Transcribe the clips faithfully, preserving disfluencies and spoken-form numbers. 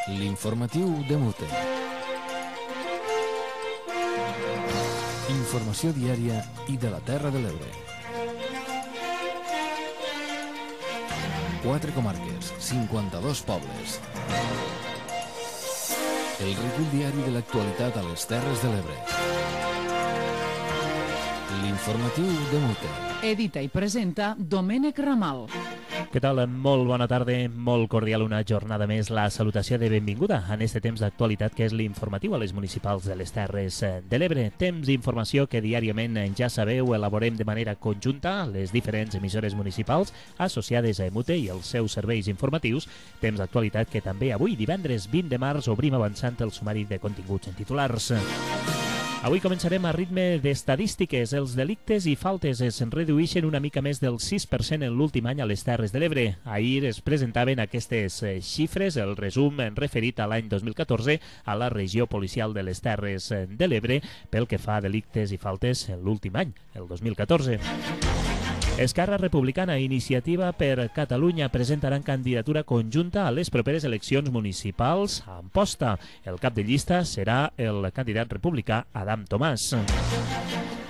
L'informatiu de Mute. Informació diària i de la Terra de l'Ebre. Quatre comarques, cinquanta-dos pobles. El recull diari de l'actualitat a les Terres de l'Ebre. L'informatiu de Mute. Edita i presenta Domènec Ramal. Què tal? Molt bona tarda, molt cordial una jornada més. La salutació de benvinguda en este temps d'actualitat que és l'informatiu a les municipals de les Terres de l'Ebre. Temps d'informació que diàriament, ja sabeu, elaborem de manera conjunta les diferents emissores municipals associades a Emute i els seus serveis informatius. Temps d'actualitat que també avui, divendres vint de març, obrim avançant el sumari de continguts en titulars. Avui començarem a ritme d'estadístiques. Els delictes i faltes es redueixen una mica més del sis per cent en l'últim any a les Terres de l'Ebre. Ahir es presentaven aquestes xifres, el resum referit a l'any dos mil catorze a la regió policial de les Terres de l'Ebre pel que fa a delictes i faltes en l'últim any, el dos mil catorze. Esquerra Republicana i Iniciativa per Catalunya presentaran candidatura conjunta a les properes eleccions municipals a Amposta. El cap de llista serà el candidat republicà Adam Tomàs.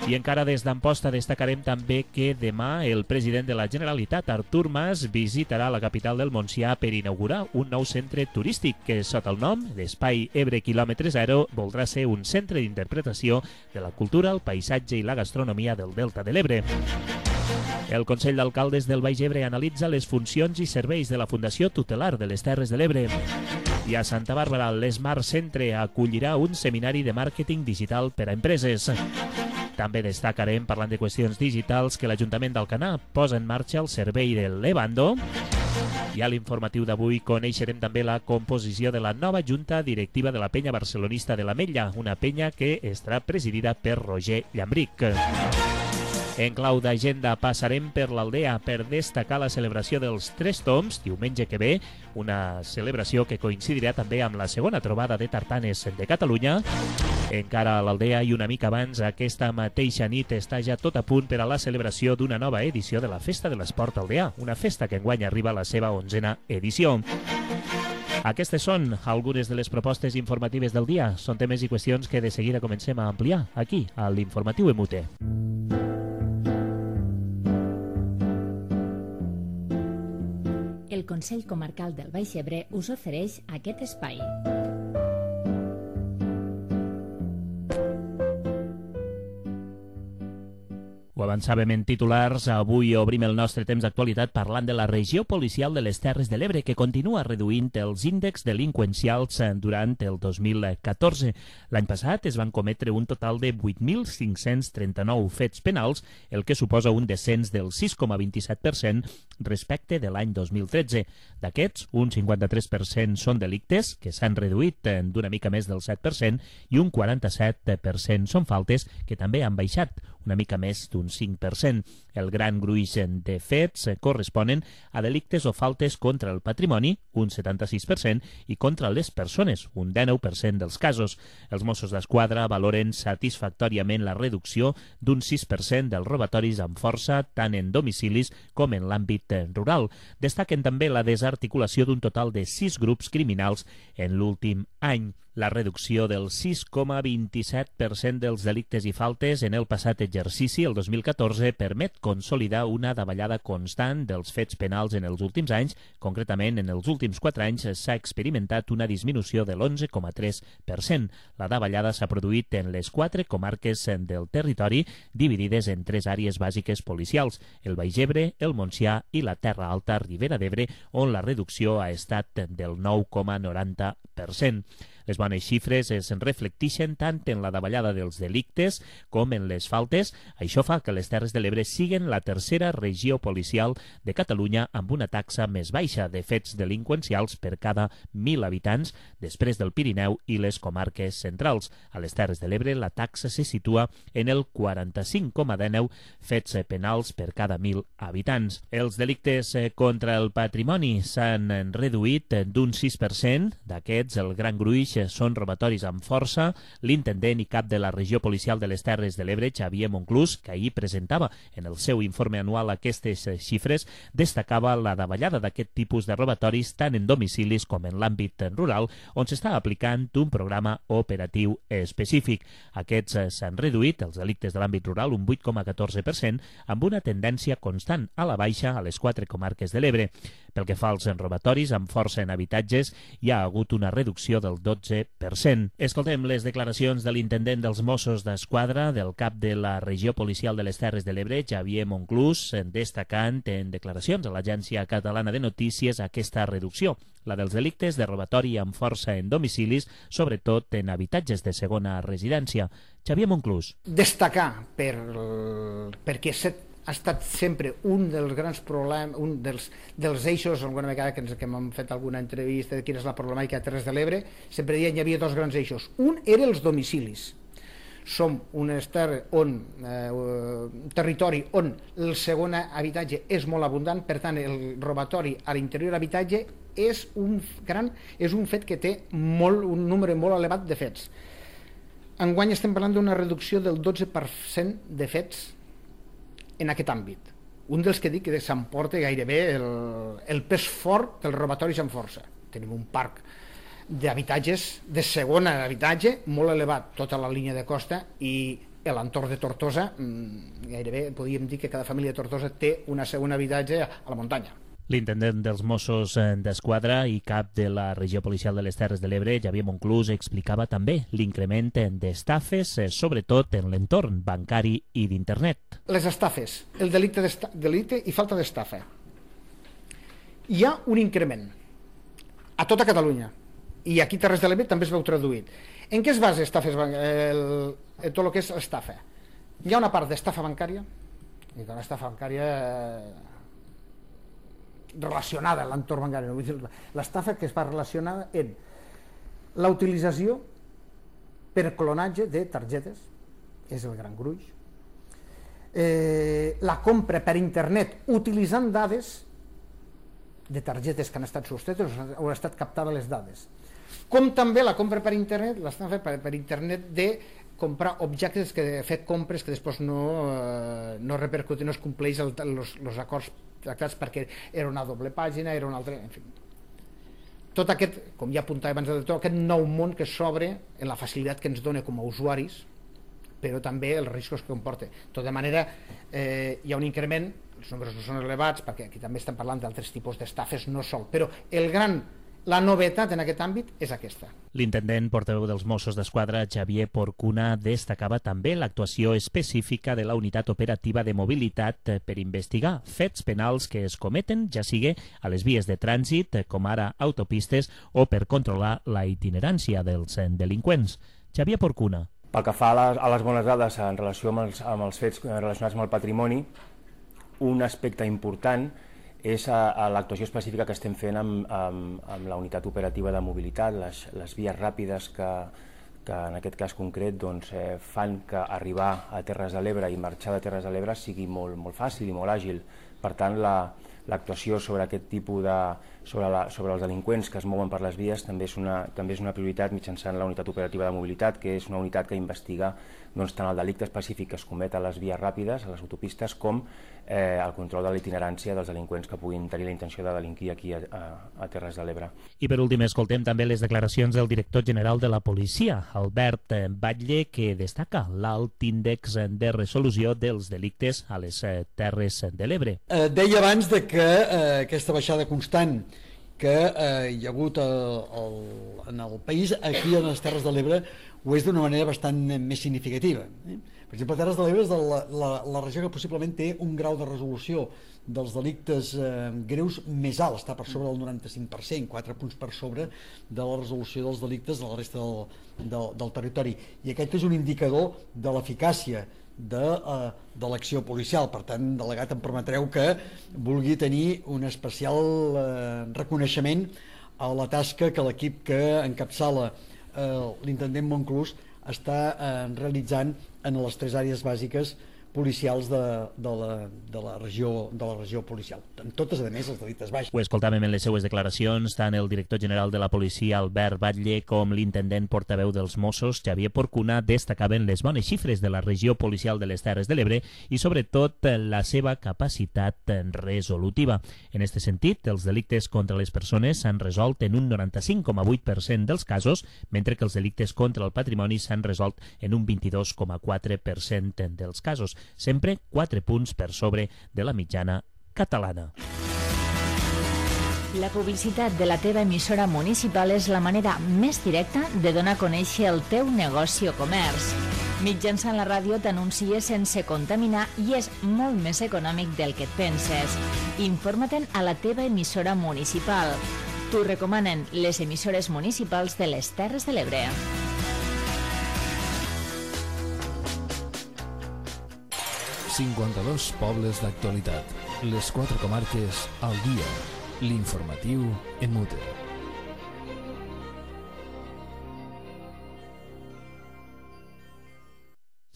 I encara des d'Amposta destacarem també que demà el president de la Generalitat, Artur Mas, visitarà la capital del Montsià per inaugurar un nou centre turístic que, sota el nom d'Espai Ebre Quilòmetre Zero, voldrà ser un centre d'interpretació de la cultura, el paisatge i la gastronomia del Delta de l'Ebre. El Consell d'Alcaldes del Baix Ebre analitza les funcions i serveis de la Fundació Tutelar de les Terres de l'Ebre. I a Santa Bàrbara, l'Smart Centre acollirà un seminari de màrqueting digital per a empreses. També destacarem, parlant de qüestions digitals, que l'Ajuntament d'Alcanar posa en marxa el servei de l'Evando. I a l'informatiu d'avui coneixerem també la composició de la nova junta directiva de la penya barcelonista de l'Ametlla, una penya que estarà presidida per Roger Llambric. En clau d'agenda passarem per l'Aldea per destacar la celebració dels Tres Tombs, diumenge que ve, una celebració que coincidirà també amb la segona trobada de tartanes de Catalunya. Encara a l'Aldea i una mica abans, aquesta mateixa nit està ja tot a punt per a la celebració d'una nova edició de la Festa de l'Esport Aldeà, una festa que enguany arriba a la seva onzena edició. Aquestes són algunes de les propostes informatives del dia. Són temes i qüestions que de seguida comencem a ampliar aquí, a l'Informatiu Emute. El Consell Comarcal del Baix Ebre us ofereix aquest espai. Ho avançàvem en titulars, avui obrim el nostre temps d'actualitat parlant de la regió policial de les Terres de l'Ebre que continua reduint els índexs delinqüencials durant el dos mil catorze. L'any passat es van cometre un total de vuit mil cinc-cents trenta-nou fets penals, el que suposa un descens del sis coma vint-i-set per cent respecte de l'any dos mil tretze. D'aquests, un cinquanta-tres per cent són delictes, que s'han reduït d'una mica més del set per cent, i un quaranta-set per cent són faltes, que també han baixat una mica més d'un cinc per cent. El gran gruix de fets corresponen a delictes o faltes contra el patrimoni, un setanta-sis per cent, i contra les persones, un dinou per cent dels casos. Els Mossos d'Esquadra valoren satisfactòriament la reducció d'un sis per cent dels robatoris amb força, tant en domicilis com en l'àmbit rural. Destaquen també la desarticulació d'un total de sis grups criminals en l'últim any. La reducció del sis coma vint-i-set per cent dels delictes i faltes en el passat exercici, el dos mil catorze, permet consolidar una davallada constant dels fets penals en els últims anys. Concretament, en els últims quatre anys s'ha experimentat una disminució de l'onze coma tres per cent. La davallada s'ha produït en les quatre comarques del territori, dividides en tres àrees bàsiques policials, el Baix Ebre, el Montsià i la Terra Alta Ribera d'Ebre, on la reducció ha estat del nou coma noranta per cent. Les bones xifres es reflecteixen tant en la davallada dels delictes com en les faltes. Això fa que les Terres de l'Ebre siguin la tercera regió policial de Catalunya amb una taxa més baixa de fets delinqüencials per cada mil habitants, després del Pirineu i les comarques centrals. A les Terres de l'Ebre la taxa se situa en el quaranta-cinc coma dinou fets penals per cada mil habitants. Els delictes contra el patrimoni s'han reduït d'un sis per cent. D'aquests, el gran gruix són robatoris amb força. L'intendent i cap de la regió policial de les Terres de l'Ebre, Xavier Monclús, que ahir presentava en el seu informe anual aquestes xifres, destacava la davallada d'aquest tipus de robatoris tant en domicilis com en l'àmbit rural, on s'està aplicant un programa operatiu específic. Aquests s'han reduït, els delictes de l'àmbit rural, un vuit coma catorze per cent, amb una tendència constant a la baixa a les quatre comarques de l'Ebre. Pel que fa als robatoris amb força en habitatges, hi ha hagut una reducció del dotze per cent. Escoltem les declaracions de l'intendent dels Mossos d'Esquadra, del cap de la regió policial de les Terres de l'Ebre, Xavier Monclús, destacant en declaracions a l'Agència Catalana de Notícies aquesta reducció, la dels delictes de robatori amb força en domicilis, sobretot en habitatges de segona residència. Xavier Monclús. Destacar per, perquè ha estat sempre un dels grans problemes, un dels, dels eixos, alguna vegada que, ens, que hem fet alguna entrevista de quina és la problemàtica a Terres de l'Ebre, sempre deien hi havia dos grans eixos. Un era els domicilis. Som un terri on, eh, un territori on el segon habitatge és molt abundant, per tant el robatori a l'interior d'habitatge és un gran, és un fet que té molt, un número molt elevat de fets. Enguany estem parlant d'una reducció del dotze per cent de fets en aquest àmbit. Un dels que dic que s'emporta gairebé el, el pes fort dels robatoris amb força. Tenim un parc d'habitatges, de segon habitatge, molt elevat, tota la línia de costa, i l'entorn de Tortosa, gairebé podríem dir que cada família de Tortosa té un segon habitatge a la muntanya. L'intendent dels Mossos d'Esquadra i cap de la regió policial de les Terres de l'Ebre, Xavier Monclús, explicava també l'increment d'estafes, sobretot en l'entorn bancari i d'internet. Les estafes, el delicte, delicte i falta d'estafa. Hi ha un increment a tota Catalunya, i aquí a Terres de l'Ebre també es veu traduït. En què es basa estafes, el, el, tot el que és l'estafa? Hi ha una part d'estafa bancària, i una estafa bancària relacionada a l'entorn bancari. L'estafa que es va relacionada en la utilització per clonatge de targetes, és el gran gruix, eh, la compra per internet utilitzant dades de targetes que han estat sostretes o han estat captades les dades, com també la compra per internet, l'estafa per, per internet de comprar objectes, que fer compres que després no, eh, no repercuten, no es compleix els acords tractats perquè era una doble pàgina, era una altra, en fi. Tot aquest, com ja apuntava abans de tot, aquest nou món que s'obre en la facilitat que ens dona com a usuaris, però també els riscos que comporta. De tota manera, eh, hi ha un increment, els números no són elevats, perquè aquí també estem parlant d'altres tipus d'estafes, no sol, però el gran la novetat en aquest àmbit és aquesta. L'intendent portaveu dels Mossos d'Esquadra, Xavier Porcuna, destacava també l'actuació específica de la unitat operativa de mobilitat per investigar fets penals que es cometen, ja sigui a les vies de trànsit, com ara autopistes, o per controlar la itinerància dels delinqüents. Xavier Porcuna. Pel que fa a les, a les bones dades en relació amb els, amb els fets relacionats amb el patrimoni, un aspecte important és a, a l'actuació específica que estem fent amb, amb, amb la unitat operativa de mobilitat, les, les vies ràpides que, que en aquest cas concret doncs, eh, fan que arribar a Terres de l'Ebre i marxar de Terres de l'Ebre sigui molt, molt fàcil i molt àgil. Per tant, l'actuació la, sobre aquest tipus de... Sobre, la, sobre els delinqüents que es mouen per les vies també és una, també és una prioritat mitjançant la unitat operativa de mobilitat, que és una unitat que investiga doncs, tant el delicte específic que es comet a les vies ràpides, a les autopistes, com eh, el control de la itinerància dels delinqüents que puguin tenir la intenció de delinquir aquí a, a, a Terres de l'Ebre. I per últim escoltem també les declaracions del director general de la policia, Albert Batlle, que destaca l'alt índex de resolució dels delictes a les Terres de l'Ebre. Eh, deia abans de que eh, aquesta baixada constant que eh, hi ha hagut el, el, en el país, aquí a les Terres de l'Ebre ho és d'una manera bastant més significativa. Eh? Per exemple, Terres de l'Ebre és de la, la, la regió que possiblement té un grau de resolució dels delictes eh, greus més alt, està per sobre del noranta-cinc per cent, quatre punts per sobre de la resolució dels delictes de la resta del, del, del territori. I aquest és un indicador de l'eficàcia de, uh, de l'acció policial. Per tant, delegat, em permetreu que vulgui tenir un especial uh, reconeixement a la tasca que l'equip que encapçala uh, l'intendent Monclús està uh, realitzant en les tres àrees bàsiques policials de, de, la, de, la regió, de la regió policial. En totes, a més, els delictes baixos. Ho escoltàvem en les seues declaracions, tant el director general de la policia, Albert Batlle, com l'intendent portaveu dels Mossos, Xavier Porcuna, destacaven les bones xifres de la regió policial de les Terres de l'Ebre i, sobretot, la seva capacitat resolutiva. En aquest sentit, els delictes contra les persones s'han resolt en un noranta-cinc coma vuit per cent dels casos, mentre que els delictes contra el patrimoni s'han resolt en un vint-i-dos coma quatre per cent dels casos, sempre quatre punts per sobre de la mitjana catalana. La publicitat de la teva emissora municipal és la manera més directa de donar a conèixer el teu negoci o comerç. Mitjançant la ràdio t'anuncies sense contaminar i és molt més econòmic del que et penses. Informa-te'n a la teva emissora municipal. T'ho recomanen les emissores municipals de les Terres de l'Ebre. cinquanta-dos pobles d'actualitat. Les quatre comarques al dia. L'informatiu en mute.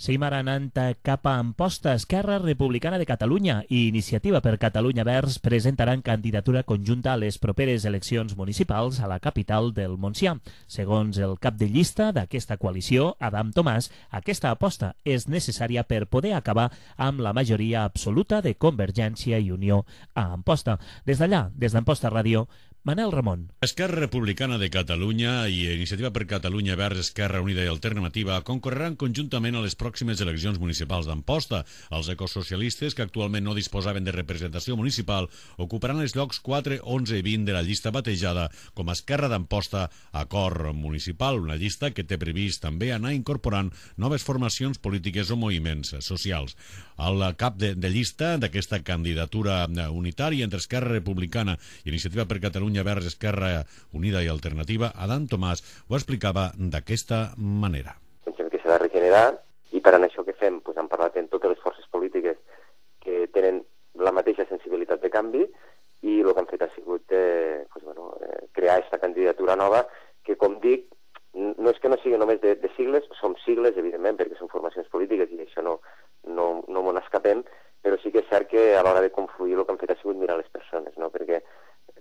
Seguim ara anant cap a Amposta. Esquerra Republicana de Catalunya i Iniciativa per Catalunya Verds presentaran candidatura conjunta a les properes eleccions municipals a la capital del Montsià. Segons el cap de llista d'aquesta coalició, Adam Tomàs, aquesta aposta és necessària per poder acabar amb la majoria absoluta de Convergència i Unió a Amposta. Des d'allà, des d'Amposta Ràdio, Manel Ramon. Esquerra Republicana de Catalunya i Iniciativa per Catalunya Verds, Esquerra Unida i Alternativa concorreran conjuntament a les pròximes eleccions municipals d'Amposta. Els ecosocialistes, que actualment no disposaven de representació municipal, ocuparan els llocs quatre, onze i vint de la llista batejada com a Esquerra d'Amposta Acord Municipal, una llista que té previst també anar incorporant noves formacions polítiques o moviments socials. Al cap de, de llista d'aquesta candidatura unitària entre Esquerra Republicana i Iniciativa per Catalunya Verds, Esquerra Unida i Alternativa, Adam Tomàs ho explicava d'aquesta manera. Pensem que s'ha de regenerar i per això que fem, pues, hem parlat amb totes les forces polítiques que tenen la mateixa sensibilitat de canvi i el que han fet ha sigut eh, pues, bueno, eh, crear aquesta candidatura nova que, com dic, no és que no sigui només de, de sigles, som sigles, evidentment, perquè són formacions polítiques i això no, no, no m'ho n'escapem, però sí que és cert que a l'hora de confluir el que han fet ha sigut mirar les persones, no? Perquè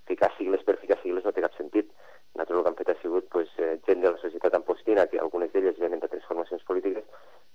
ficar sigles per ficar sigles no té cap sentit. Nosaltres el que han fet ha sigut pues, eh, gent de la societat ampostina, que algunes d'elles venen de transformacions polítiques,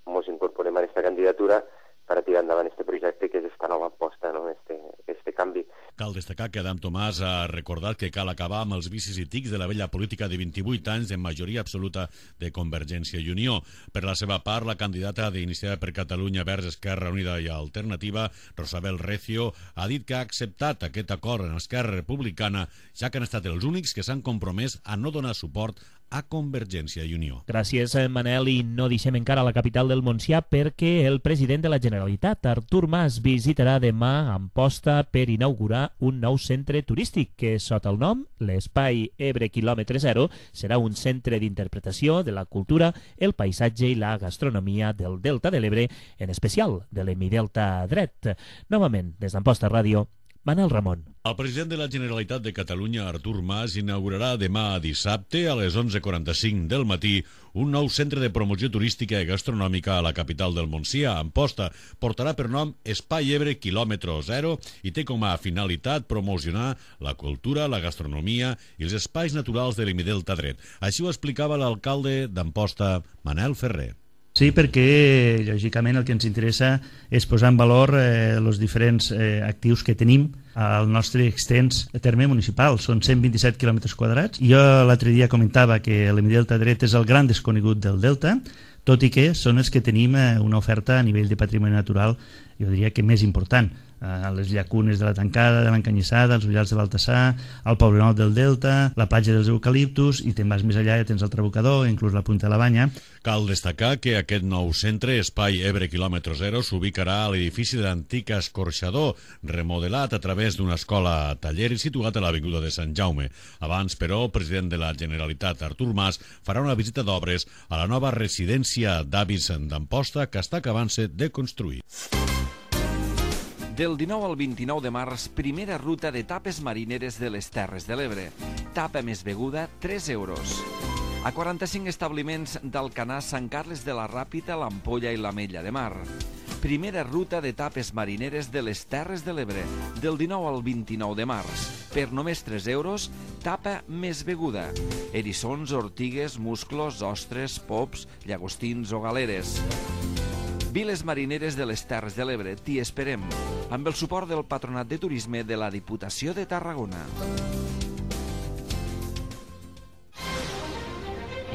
ens incorporem a aquesta candidatura per a tirar endavant aquest projecte que és esta nova aposta, no? este, este canvi. Cal destacar que Adam Tomàs ha recordat que cal acabar amb els vicis i tics de la vella política de vint-i-vuit anys de majoria absoluta de Convergència i Unió. Per la seva part, la candidata d'Iniciativa per Catalunya Verds, Esquerra Unida i Alternativa, Rosabel Recio, ha dit que ha acceptat aquest acord en Esquerra Republicana, ja que han estat els únics que s'han compromès a no donar suport a Convergència i Unió. Gràcies, Manel, i no deixem encara la capital del Montsià perquè el president de la Generalitat, Artur Mas, visitarà demà Amposta per inaugurar un nou centre turístic que, sota el nom l'Espai Ebre Quilòmetre Zero, serà un centre d'interpretació de la cultura, el paisatge i la gastronomia del Delta de l'Ebre, en especial de l'Hemidelta dret. Novament, des d'Amposta Ràdio, Manel Ramon. El president de la Generalitat de Catalunya, Artur Mas, inaugurarà demà dissabte a les onze quaranta-cinc del matí un nou centre de promoció turística i gastronòmica a la capital del Montsià, Amposta. Portarà per nom Espai Ebre Quilòmetre Zero i té com a finalitat promocionar la cultura, la gastronomia i els espais naturals de l'Hemidelta dret. Així ho explicava l'alcalde d'Amposta, Manel Ferrer. Sí, perquè, lògicament, el que ens interessa és posar en valor eh, els diferents eh, actius que tenim al nostre extens terme municipal. Són cent vint-i-set quilòmetres quadrats. Jo l'altre dia comentava que l'Hemidelta dret és el gran desconegut del Delta, tot i que són els que tenim eh, una oferta a nivell de patrimoni natural, jo diria que més important. A les llacunes de la Tancada, de l'Encanyissada, els Ullals de Baltasar, el Poblenou del Delta, la platja dels eucaliptus, i te'n vas més allà i tens el Trabucador, inclús la Punta de la Banya. Cal destacar que aquest nou centre, Espai Ebre Quilòmetre Zero, s'ubicarà a l'edifici de l'antic escorxador, remodelat a través d'una escola taller i situat a l'Avinguda de Sant Jaume. Abans, però, el president de la Generalitat, Artur Mas, farà una visita d'obres a la nova residència d'avis d'Amposta que està acabant-se de construir. Del dinou al vint-i-nou de març, primera ruta de tapes marineres de les Terres de l'Ebre. Tapa més beguda, tres euros. A quaranta-cinc establiments d'Alcanar, Sant Carles de la Ràpita, l'Ampolla i l'Ametlla de Mar. Primera ruta d'etapes marineres de les Terres de l'Ebre, del dinou al vint-i-nou de març. Per només tres euros, tapa més beguda. Eriçons, ortigues, musclos, ostres, pops, llagostins o galeres. Viles marineres de les Terres de l'Ebre, t'hi esperem, amb el suport del Patronat de Turisme de la Diputació de Tarragona.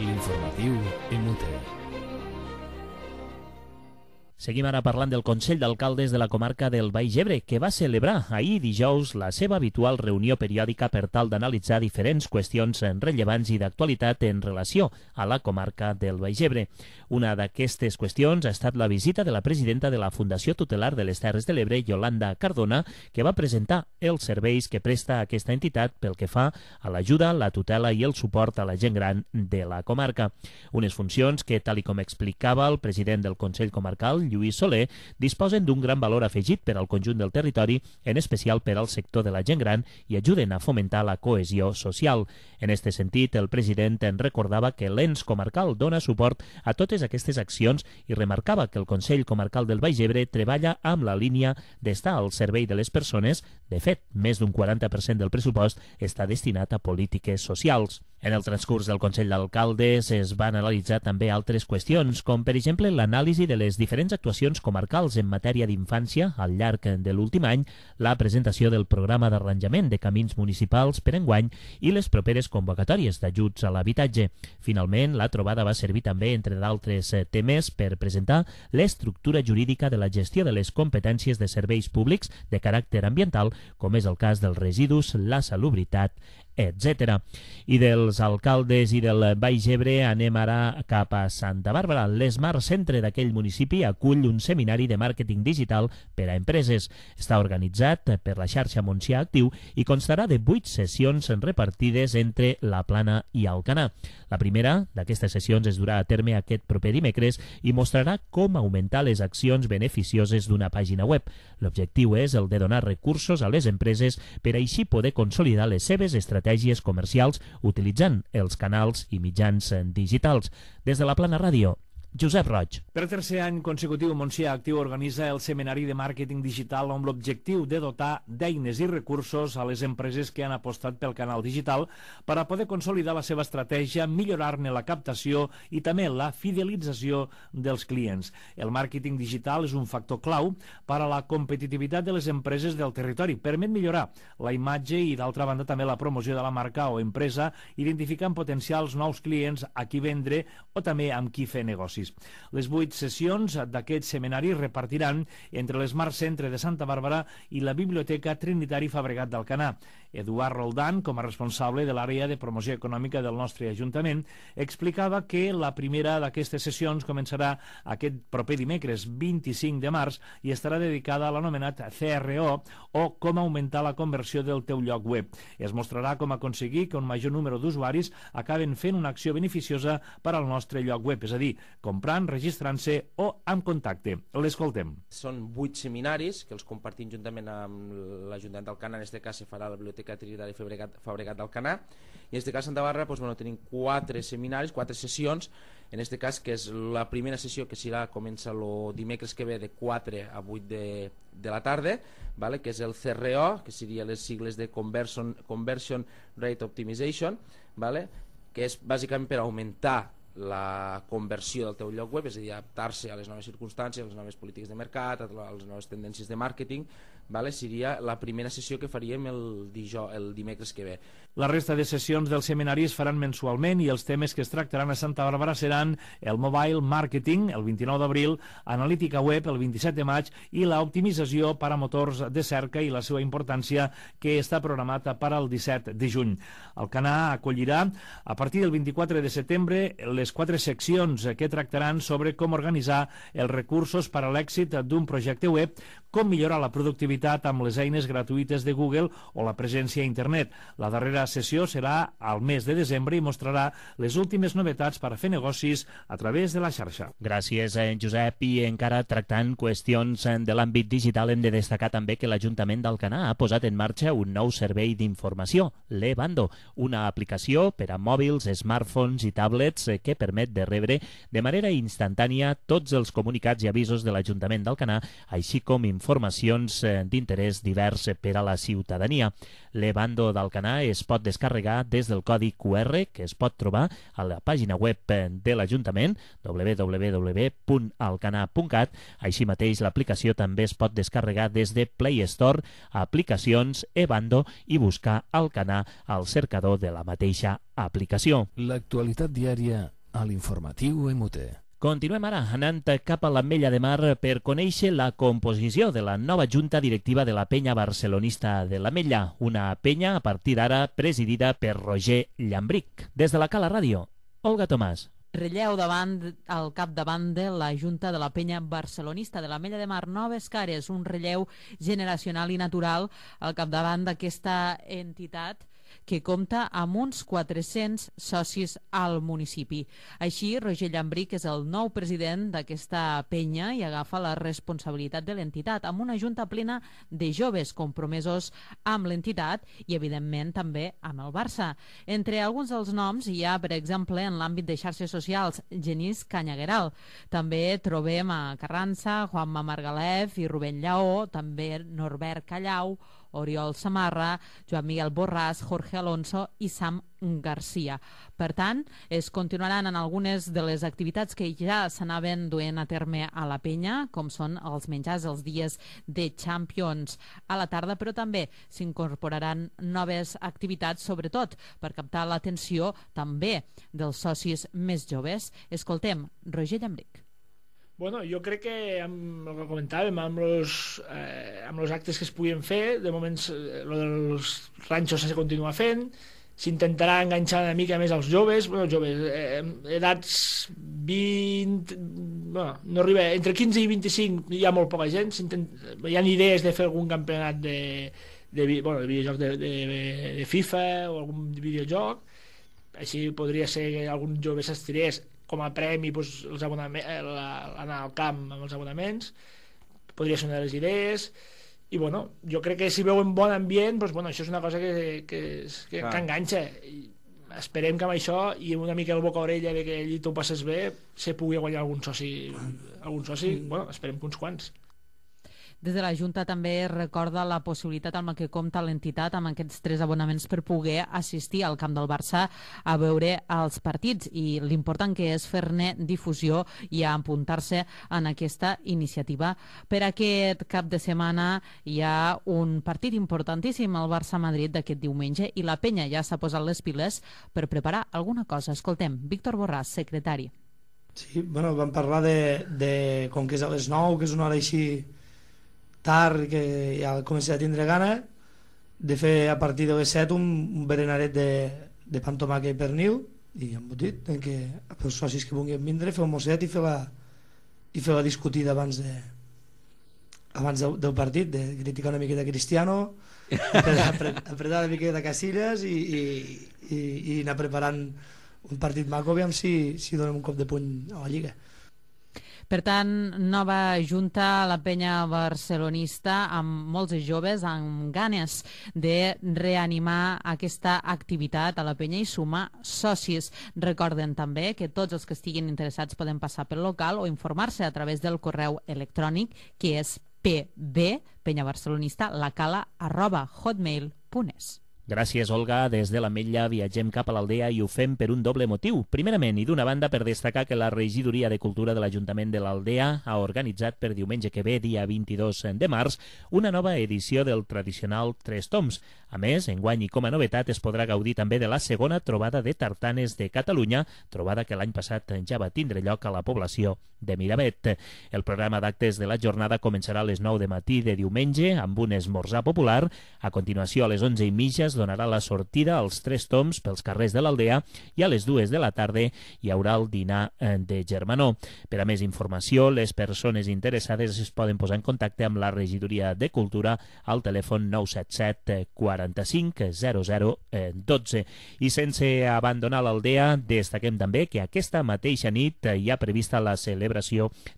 L'informatiu Emute. Seguim ara parlant del Consell d'Alcaldes de la comarca del Baix Ebre, que va celebrar ahir dijous la seva habitual reunió periòdica per tal d'analitzar diferents qüestions rellevants i d'actualitat en relació a la comarca del Baix Ebre. Una d'aquestes qüestions ha estat la visita de la presidenta de la Fundació Tutelar de les Terres de l'Ebre, Yolanda Cardona, que va presentar els serveis que presta aquesta entitat pel que fa a l'ajuda, la tutela i el suport a la gent gran de la comarca. Unes funcions que, tal i com explicava el president del Consell Comarcal, Lluís Soler, disposen d'un gran valor afegit per al conjunt del territori, en especial per al sector de la gent gran, i ajuden a fomentar la cohesió social. En aquest sentit, el president en recordava que l'ens comarcal dona suport a totes aquestes accions i remarcava que el Consell Comarcal del Baix Ebre treballa amb la línia d'estar al servei de les persones. De fet, més d'un quaranta per cent del pressupost està destinat a polítiques socials. En el transcurs del Consell d'Alcaldes es van analitzar també altres qüestions, com per exemple l'anàlisi de les diferents actuacions comarcals en matèria d'infància al llarg de l'últim any, la presentació del programa d'arranjament de camins municipals per enguany i les properes convocatòries d'ajuts a l'habitatge. Finalment, la trobada va servir també, entre d'altres temes, per presentar l'estructura jurídica de la gestió de les competències de serveis públics de caràcter ambiental, com és el cas dels residus, la salubritat, etcètera. I dels alcaldes i del Baix Ebre anem ara cap a Santa Bàrbara. L'Smart Centre d'aquell municipi acull un seminari de màrqueting digital per a empreses. Està organitzat per la xarxa Montsià Actiu i constarà de vuit sessions repartides entre la Plana i Alcanar. La primera d'aquestes sessions es durà a terme aquest proper dimecres i mostrarà com augmentar les accions beneficioses d'una pàgina web. L'objectiu és el de donar recursos a les empreses per així poder consolidar les seves estratègies estratègies comercials utilitzant els canals i mitjans digitals. Des de la Plana Ràdio, Josep Roig. Per tercer any consecutiu, Montsià Actiu organitza el seminari de màrqueting digital amb l'objectiu de dotar d'eines i recursos a les empreses que han apostat pel canal digital per a poder consolidar la seva estratègia, millorar-ne la captació i també la fidelització dels clients. El màrqueting digital és un factor clau per a la competitivitat de les empreses del territori. Permet millorar la imatge i, d'altra banda, també la promoció de la marca o empresa, identificant potencials nous clients a qui vendre o també amb qui fer negocis. Les vuit sessions d'aquest seminari repartiran entre l'Smart Centre de Santa Bàrbara i la Biblioteca Trinitari Fabregat d'Alcanar. Eduard Roldán, com a responsable de l'àrea de promoció econòmica del nostre Ajuntament, explicava que la primera d'aquestes sessions començarà aquest proper dimecres vint-i-cinc de març i estarà dedicada a l'anomenat C R O, o com augmentar la conversió del teu lloc web. Es mostrarà com aconseguir que un major número d'usuaris acaben fent una acció beneficiosa per al nostre lloc web, és a dir, comprant, registrant-se o amb contacte. L'escoltem. Són vuit seminaris que els compartim juntament amb l'Ajuntament d'Alcanar. En aquest cas se farà a la Biblioteca Trinitari Fabregat, Fabregat d'Alcanar, i en aquest cas a Santa Bàrbara doncs, bueno, tenim quatre seminaris, quatre sessions. En aquest cas, que és la primera sessió, que serà, comença el dimecres que ve de quatre a vuit de, de la tarda, vale? Que és el C R O, que seria les sigles de Conversion, Conversion Rate Optimization, vale? Que és bàsicament per augmentar la conversió del teu lloc web, és a dir, adaptar-se a les noves circumstàncies, a les noves polítiques de mercat, a les noves tendències de màrqueting, vale? Seria la primera sessió que faríem el, dijous, el dimecres que ve. La resta de sessions del seminari es faran mensualment i els temes que es tractaran a Santa Bàrbara seran el mobile marketing, el vint-i-nou d'abril, analítica web, el vint-i-set de maig, i l'optimització per a motors de cerca i la seva importància, que està programada per al disset de juny. Alcanar acollirà a partir del vint-i-quatre de setembre les quatre seccions que tractaran sobre com organitzar els recursos per a l'èxit d'un projecte web, com millorar la productivitat amb les eines gratuïtes de Google o la presència a internet. La darrera sessió serà al mes de desembre i mostrarà les últimes novetats per a fer negocis a través de la xarxa. Gràcies, Josep. I encara tractant qüestions de l'àmbit digital, hem de destacar també que l'Ajuntament d'Alcanar ha posat en marxa un nou servei d'informació, l'Ebando, una aplicació per a mòbils, smartphones i tablets que que permet de rebre de manera instantània tots els comunicats i avisos de l'Ajuntament d'Alcanar, així com informacions d'interès divers per a la ciutadania. L'e-bando d'Alcanar es pot descarregar des del codi Q R que es pot trobar a la pàgina web de l'Ajuntament, w w w punt alcanar punt cat. Així mateix, l'aplicació també es pot descarregar des de Play Store, aplicacions, e-bando i buscar Alcanar al cercador de la mateixa aplicació. L'actualitat diària a l'informatiu M T. Continuem ara anant cap a l'Ametlla de Mar per conèixer la composició de la nova junta directiva de la penya barcelonista de l'Ametlla, una penya a partir d'ara presidida per Roger Llambric. Des de la Cala Ràdio, Olga Tomàs. Relleu davant al capdavant de la Junta de la Penya Barcelonista de l'Ametlla de Mar, noves cares, un relleu generacional i natural al capdavant d'aquesta entitat que compta amb uns quatre-cents socis al municipi. Així, Roger Llambric és el nou president d'aquesta penya i agafa la responsabilitat de l'entitat, amb una junta plena de joves compromesos amb l'entitat i, evidentment, també amb el Barça. Entre alguns dels noms hi ha, per exemple, en l'àmbit de xarxes socials, Genís Canyagueral. També trobem a Carranza, Juanma Margalef i Rubén Lleó, també Norbert Callau, Oriol Samarra, Joan Miguel Borràs, Jorge Alonso i Sam Garcia. Per tant, es continuaran en algunes de les activitats que ja s'anaven duent a terme a la penya, com són els menjars els dies de Champions a la tarda, però també s'incorporaran noves activitats, sobretot per captar l'atenció també dels socis més joves. Escoltem Roger Llambric. Bueno, jo crec que amb el que comentàvem, amb els eh, amb els actes que es puguin fer, de moments eh, lo dels ranxos se continua fent, s'intentarà enganxar una mica més als joves, bueno, joves, eh, edats vint, bueno, no arriba, entre quinze i vint-i-cinc hi ha molt poca gent, hi ha idees de fer algun campionat de, de, bueno, de videojoc de, de, de FIFA o algun videojoc, així podria ser que algun jove s'estirés com a premi, doncs, els abonaments, anar al camp amb els abonaments, podria ser una de les idees. I bueno, jo crec que si veuen bon ambient, doncs, bueno, això és una cosa que, que, que, que enganxa. I esperem que amb això i una mica el boca-orella de que allí t'ho passes bé se pugui guanyar algun soci, algun soci, bueno, esperem que uns quants. Des de la Junta també recorda la possibilitat amb la que compta l'entitat amb aquests tres abonaments per poder assistir al camp del Barça a veure els partits, i l'important que és fer-ne difusió i apuntar-se en aquesta iniciativa. Per aquest cap de setmana hi ha un partit importantíssim al Barça-Madrid d'aquest diumenge i la penya ja s'ha posat les piles per preparar alguna cosa. Escoltem Víctor Borràs, secretari. Sí, bueno, vam parlar de, de com que és a les nou, que és una hora així tard, que ja comença a tindre gana de fer a partir de les set un, un berenaret de, de pa amb tomàquet i pernil i embotit, en què els socis que vulguin vindre fer un mosset i fer la, i fer la discutida abans de abans de, del partit, de criticar una miqueta Cristiano, apretar, apretar una miqueta Casillas i, i, i, i anar preparant un partit maco, aviam si, si donem un cop de puny a la Lliga. Per tant, nova junta a la penya barcelonista amb molts joves, amb ganes de reanimar aquesta activitat a la penya i sumar socis. Recorden també que tots els que estiguin interessats poden passar pel local o informar-se a través del correu electrònic, que és p b penya barcelonista lacala arroba hotmail punt es. Gràcies, Olga. Des de l'Ametlla viatgem cap a l'Aldea i ho fem per un doble motiu. Primerament, i d'una banda, per destacar que la Regidoria de Cultura de l'Ajuntament de l'Aldea ha organitzat per diumenge que ve, dia vint-i-dos de març, una nova edició del tradicional Tres Toms. A més, enguany i com a novetat es podrà gaudir també de la segona trobada de tartanes de Catalunya, trobada que l'any passat ja va tindre lloc a la població de Miravet. El programa d'actes de la jornada començarà a les nou de matí de diumenge amb un esmorzar popular. A continuació, a les onze i mitja es donarà la sortida als Tres Toms pels carrers de l'Aldea i a les dues de la tarda hi haurà el dinar de Germanó. Per a més informació, les persones interessades es poden posar en contacte amb la Regidoria de Cultura al telèfon nou set set quaranta-cinc zero zero dotze. I sense abandonar l'Aldea, destaquem també que aquesta mateixa nit hi ha prevista la celebració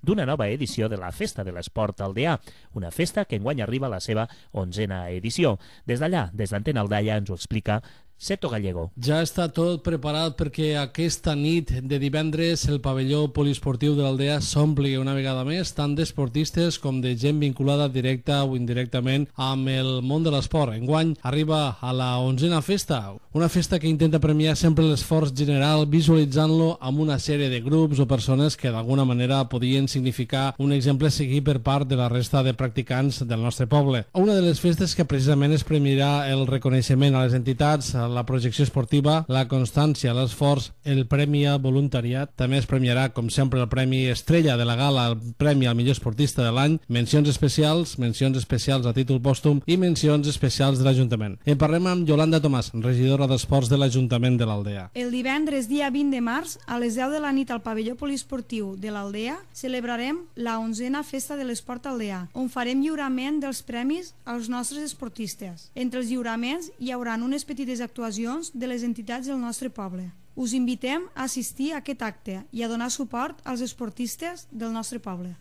d'una nova edició de la Festa de l'Esport Aldeà, una festa que enguany arriba a la seva onzena edició. Des d'allà, des d'Antena Aldaia, ens ho explica Seto Gallego. Ja està tot preparat perquè aquesta nit de divendres el pavelló poliesportiu de l'Aldea s'ompli una vegada més tant d'esportistes com de gent vinculada directa o indirectament amb el món de l'esport. Enguany arriba a la onzena festa, una festa que intenta premiar sempre l'esforç general visualitzant-lo amb una sèrie de grups o persones que d'alguna manera podien significar un exemple a seguir per part de la resta de practicants del nostre poble. Una de les festes que precisament es premiarà el reconeixement a les entitats, la projecció esportiva, la constància, l'esforç, el premi a voluntariat. També es premiarà, com sempre, el premi estrella de la gala, el premi al millor esportista de l'any, mencions especials, mencions especials a títol pòstum i mencions especials de l'Ajuntament. En parlem amb Yolanda Tomàs, regidora d'Esports de l'Ajuntament de l'Aldea. El divendres, dia vint de març, a les deu de la nit al pavelló poliesportiu de l'Aldea, celebrarem la onzena Festa de l'Esport Aldea, on farem lliurament dels premis als nostres esportistes. Entre els lliuraments hi haurà unes petites actuacions de les entitats del nostre poble. Us invitem a assistir a aquest acte i a donar suport als esportistes del nostre poble.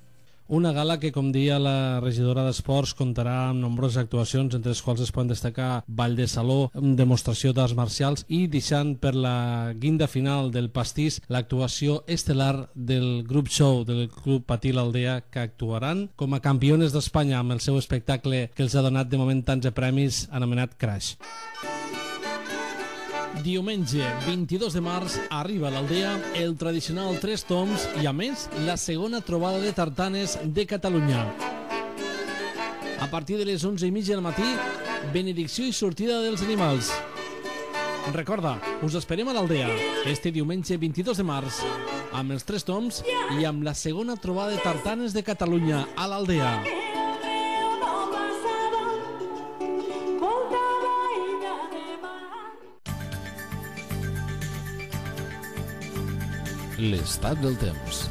Una gala que, com dia la regidora d'Esports, comptarà amb nombroses actuacions, entre les quals es poden destacar ball de saló, demostració d'arts marcials i deixant per la guinda final del pastís l'actuació estel·lar del grup show del Club Patí l'Aldea, que actuaran com a campiones d'Espanya amb el seu espectacle que els ha donat de moment tants de premis anomenat Crash. Diumenge vint-i-dos de març arriba a l'Aldea el tradicional Tres Toms i, a més, la segona trobada de tartanes de Catalunya. A partir de les onze i mitja del matí, benedicció i sortida dels animals. Recorda, us esperem a l'Aldea este diumenge vint-i-dos de març amb els Tres Toms i amb la segona trobada de tartanes de Catalunya a l'Aldea. L'estat del temps.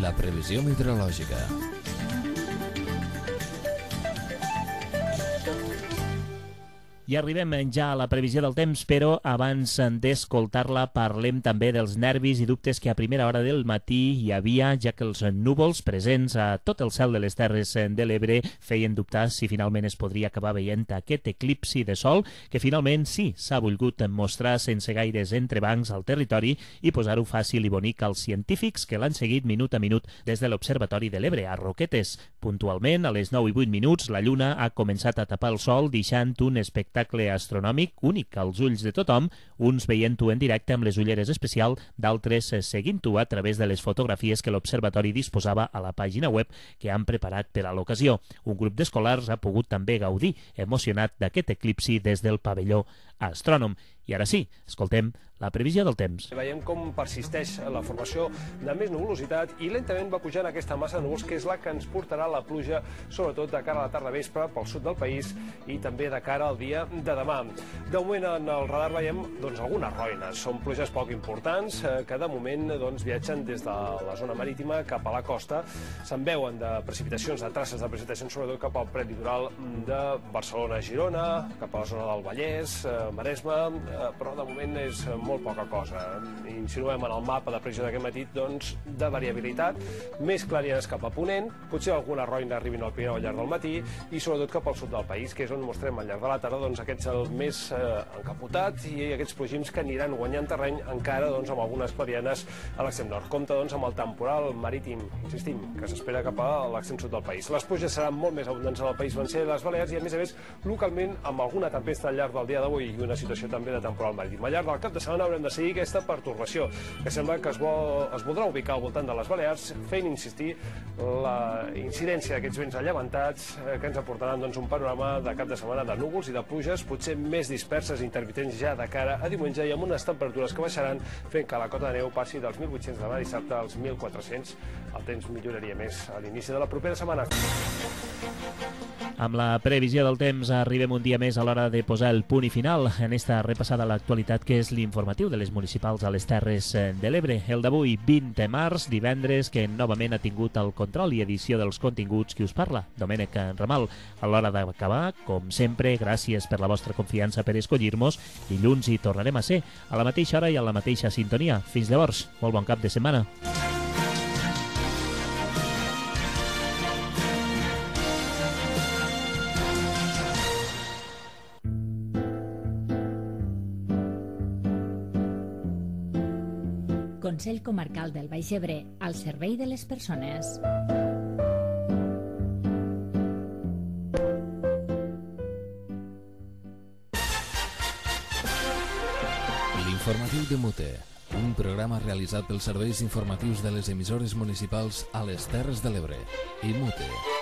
La previsió meteorològica. I arribem ja a la previsió del temps, però abans d'escoltar-la parlem també dels nervis i dubtes que a primera hora del matí hi havia, ja que els núvols presents a tot el cel de les Terres de l'Ebre feien dubtar si finalment es podria acabar veient aquest eclipsi de sol, que finalment sí s'ha volgut mostrar sense gaires entrebancs al territori i posar-ho fàcil i bonic als científics que l'han seguit minut a minut des de l'Observatori de l'Ebre a Roquetes. Puntualment, a les nou i vuit minuts, la lluna ha començat a tapar el sol, deixant un espectacle astronòmic únic als ulls de tothom, uns veient-ho en directe amb les ulleres especial, d'altres seguint-ho a través de les fotografies que l'Observatori disposava a la pàgina web que han preparat per a l'ocasió. Un grup d'escolars ha pogut també gaudir, emocionat, d'aquest eclipsi des del pavelló astrònom. I ara sí, escoltem la previsió del temps. Veiem com persisteix la formació de més nuvolositat i lentament va pujant aquesta massa de núvols que és la que ens portarà la pluja, sobretot de cara a la tarda vespre pel sud del país i també de cara al dia de demà. De moment en el radar veiem doncs, algunes roines. Són pluges poc importants que de moment doncs, viatgen des de la zona marítima cap a la costa. Se'n veuen de precipitacions, de traces de precipitacions, sobretot cap al prelitoral de Barcelona-Girona, cap a la zona del Vallès, Maresme, però de moment és molt poca cosa. Insinuem en el mapa de previsió d'aquest matí doncs, de variabilitat, més clarianes cap a ponent, potser alguna roina arribin al Pirineu al llarg del matí i sobretot cap al sud del país, que és on mostrem al llarg de la tarda doncs, aquest cel més eh, encapotat i aquests plogims que aniran guanyant terreny encara doncs, amb algunes clarianes a l'extrem nord. Compte doncs, amb el temporal marítim, insistim, que s'espera cap a l'extrem sud del país. Les pluges seran molt més abundants en el País Valencià i les Balears i a més a més localment amb alguna tempesta al llarg del dia d'avui i una situació també de temporal marítim. Al llarg del cap de setmana haurem de seguir aquesta pertorbació que sembla que es, vol, es voldrà ubicar al voltant de les Balears, fent insistir la incidència d'aquests vents allevantats eh, que ens aportaran doncs, un panorama de cap de setmana de núvols i de pluges, potser més disperses i intermitents ja de cara a diumenge i amb unes temperatures que baixaran fent que la cota de neu passi dels mil vuit-cents de demà dissabte als mil quatre-cents. El temps milloraria més a l'inici de la propera setmana. Amb la previsió del temps arribem un dia més a l'hora de posar el punt i final en esta repassada a l'actualitat que és l'informatiu de les municipals a les Terres de l'Ebre. El d'avui, vint de març, divendres, que novament ha tingut el control i edició dels continguts qui us parla, Domènec Ramal. A l'hora d'acabar, com sempre, gràcies per la vostra confiança per escollir-nos. Dilluns hi tornarem a ser, a la mateixa hora i a la mateixa sintonia. Fins llavors, molt bon cap de setmana. Consell Comarcal del Baix Ebre, al servei de les persones. L'informatiu de Mute, un programa realitzat pels serveis informatius de les emissores municipals a les Terres de l'Ebre i Mute.